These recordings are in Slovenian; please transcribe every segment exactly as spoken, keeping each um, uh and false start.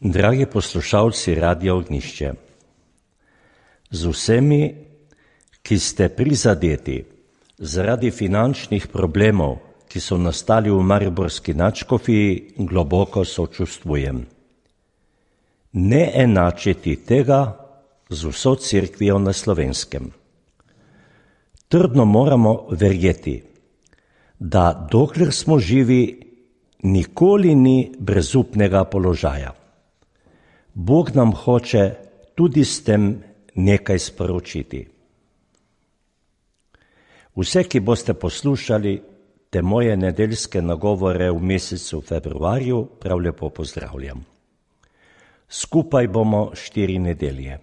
Dragi poslušalci Radia Ognjišče, z vsemi, ki ste prizadeti zaradi finančnih problemov, ki so nastali v mariborski nadškofiji, globoko sočustvujem. Ne enačiti tega z vso cerkvijo na Slovenskem. Trdno moramo verjeti, da dokler smo živi, nikoli ni brezupnega položaja. Bog nam hoče tudi s tem nekaj sporočiti. Vse, ki boste poslušali te moje nedeljske nagovore v mesecu februarju, prav lepo pozdravljam. Skupaj bomo štiri nedelje.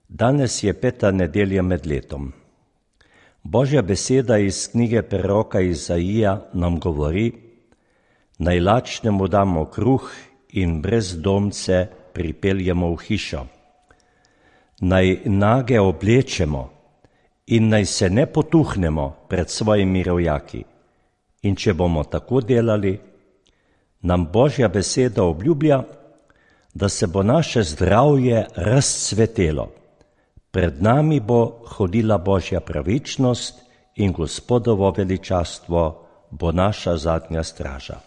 Danes je peta nedelja med letom. Božja beseda iz knjige preroka Izaija nam govori: naj lačnemu damo kruh in brezdomce pripeljemo v hišo. Naj nage oblečemo in naj se ne potuhnemo pred svojimi rojaki. In če bomo tako delali, nam Božja beseda obljublja, da se bo naše zdravje razcvetelo. Pred nami bo hodila Božja pravičnost in Gospodovo veličastvo bo naša zadnja straža.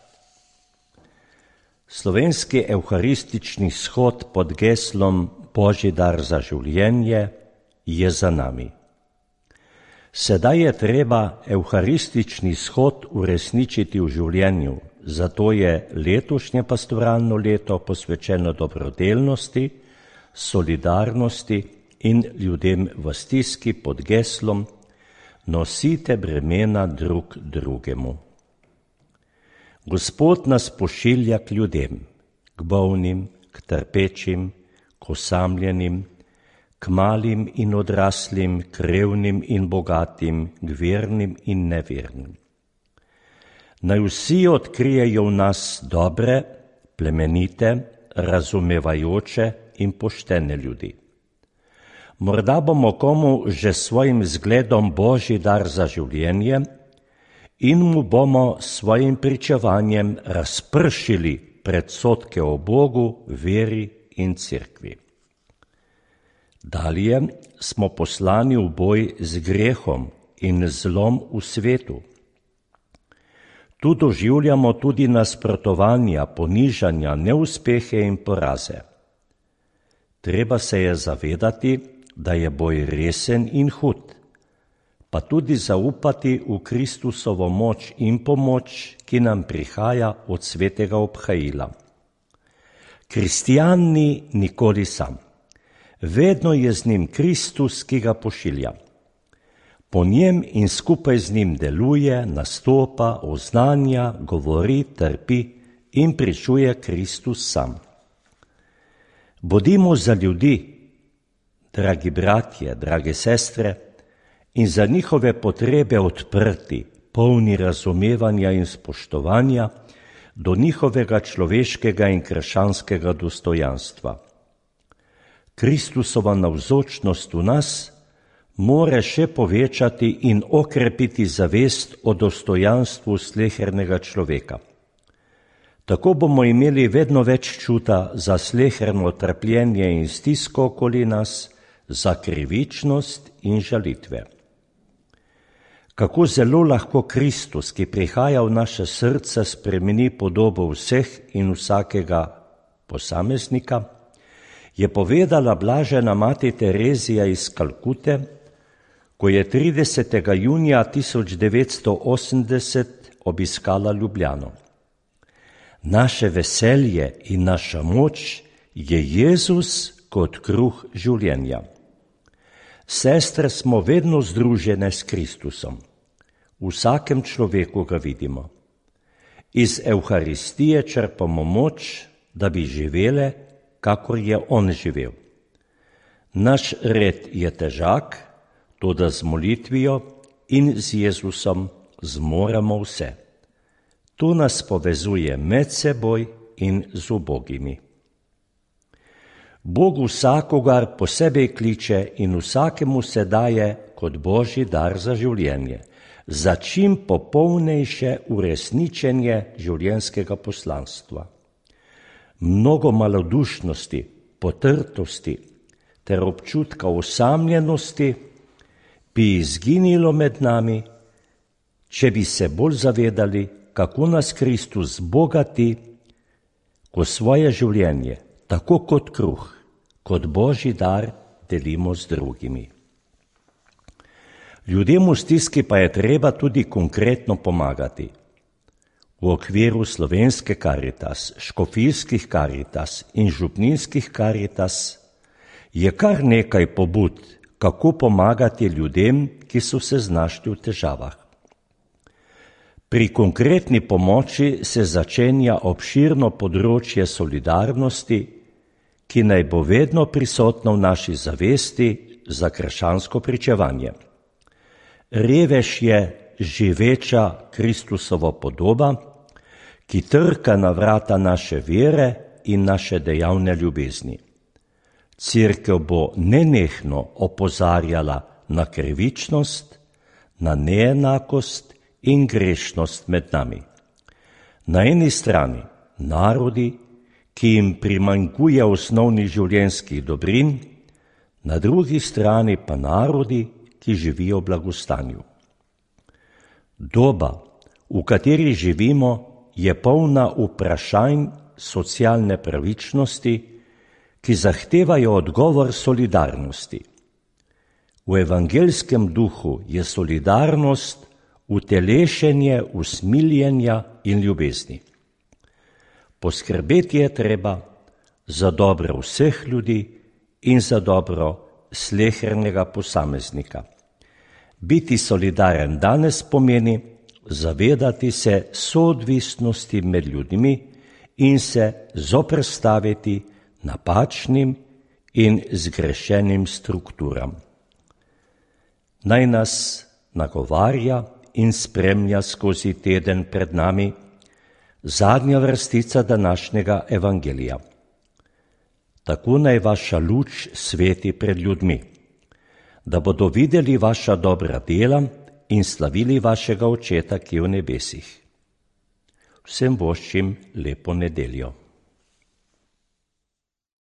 Slovenski evharistični shod pod geslom Božji dar za življenje je za nami. Sedaj je treba evharistični shod uresničiti v življenju, zato je letošnje pastoralno leto posvečeno dobrodelnosti, solidarnosti in ljudem v stiski pod geslom Nosite bremena drug drugemu. Gospod nas pošilja k ljudem, k bolnim, k trpečim, k osamljenim, k malim in odraslim, k revnim in bogatim, k vernim in nevernim. Naj vsi odkrijejo v nas dobre, plemenite, razumevajoče in poštene ljudi. Morda bomo komu že svojim zgledom Božji dar za življenje in mu bomo svojim pričevanjem razpršili predsodke o Bogu, veri in cerkvi. Dalje smo poslani v boj z grehom in zlom v svetu. Tu doživljamo tudi nasprotovanja, ponižanja, neuspehe in poraze. Treba se je zavedati, da je boj resen in hud, pa tudi zaupati v Kristusovo moč in pomoč, ki nam prihaja od svetega obhajila. Kristjan ni nikoli sam. Vedno je z njim Kristus, ki ga pošilja. Po njem in skupaj z njim deluje, nastopa, oznanja, govori, trpi in pričuje Kristus sam. Bodimo za ljudi, dragi bratje, drage sestre, in za njihove potrebe odprti, polni razumevanja in spoštovanja do njihovega človeškega in krščanskega dostojanstva. Kristusova navzočnost v nas more še povečati in okrepiti zavest o dostojanstvu slehernega človeka. Tako bomo imeli vedno več čuta za sleherno trpljenje in stisko okoli nas, za krivičnost in žalitve. Kako zelo lahko Kristus, ki prihaja v naše srce, spremeni podobo vseh in vsakega posameznika, je povedala blažena mati Terezija iz Kalkute, ko je tridesetega junija tisoč devetsto osemdeset obiskala Ljubljano. Naše veselje in naša moč je Jezus kot kruh življenja. Sestre smo vedno združene s Kristusom. V vsakem človeku ga vidimo. Iz Evharistije črpamo moč, da bi živele, kakor je on živel. Naš red je težak, toda z molitvijo in z Jezusom zmoremo vse. To nas povezuje med seboj in z ubogimi. Bog vsakogar posebej kliče in vsakemu se daje kot Božji dar za življenje, za čim popolnejše uresničenje življenjskega poslanstva. mnogo malodušnosti, potrtosti ter občutka osamljenosti bi izginilo med nami, če bi se bolj zavedali, kako nas Kristus bogati, ko svoje življenje, tako kot kruh, kot Božji dar, delimo z drugimi. Ljudem v stiski pa je treba tudi konkretno pomagati. V okviru slovenske Karitas, škofijskih Karitas in župninskih Karitas je kar nekaj pobud, kako pomagati ljudem, ki so se znašli v težavah. Pri konkretni pomoči se začenja obširno področje solidarnosti, ki naj bo vedno prisotno v naši zavesti za krščansko pričevanje. Revež je živeča Kristusovo podoba, ki trka na vrata naše vere in naše dejavne ljubezni. Cerkev bo nenehno opozarjala na krivičnost, na neenakost in grešnost med nami. Na eni strani narodi, ki jim primanjkuje osnovnih življenjskih dobrin, na drugi strani pa narodi, ki živijo v blagostanju. Doba, v kateri živimo, je polna vprašanj socialne pravičnosti, ki zahtevajo odgovor solidarnosti. V evangeljskem duhu je solidarnost utelešenje usmiljenja in ljubezni. Poskrbeti je treba za dobro vseh ljudi in za dobro slehernega posameznika. Biti solidaren danes pomeni zavedati se soodvisnosti med ljudmi in se zoperstaviti napačnim in zgrešenim strukturam. Naj nas nagovarja in spremlja skozi teden pred nami zadnja vrstica današnjega evangelija. Tako naj vaša luč sveti pred ljudmi, da bodo videli vaša dobra dela in slavili vašega Očeta, ki je v nebesih. Vsem voščim lepo nedeljo.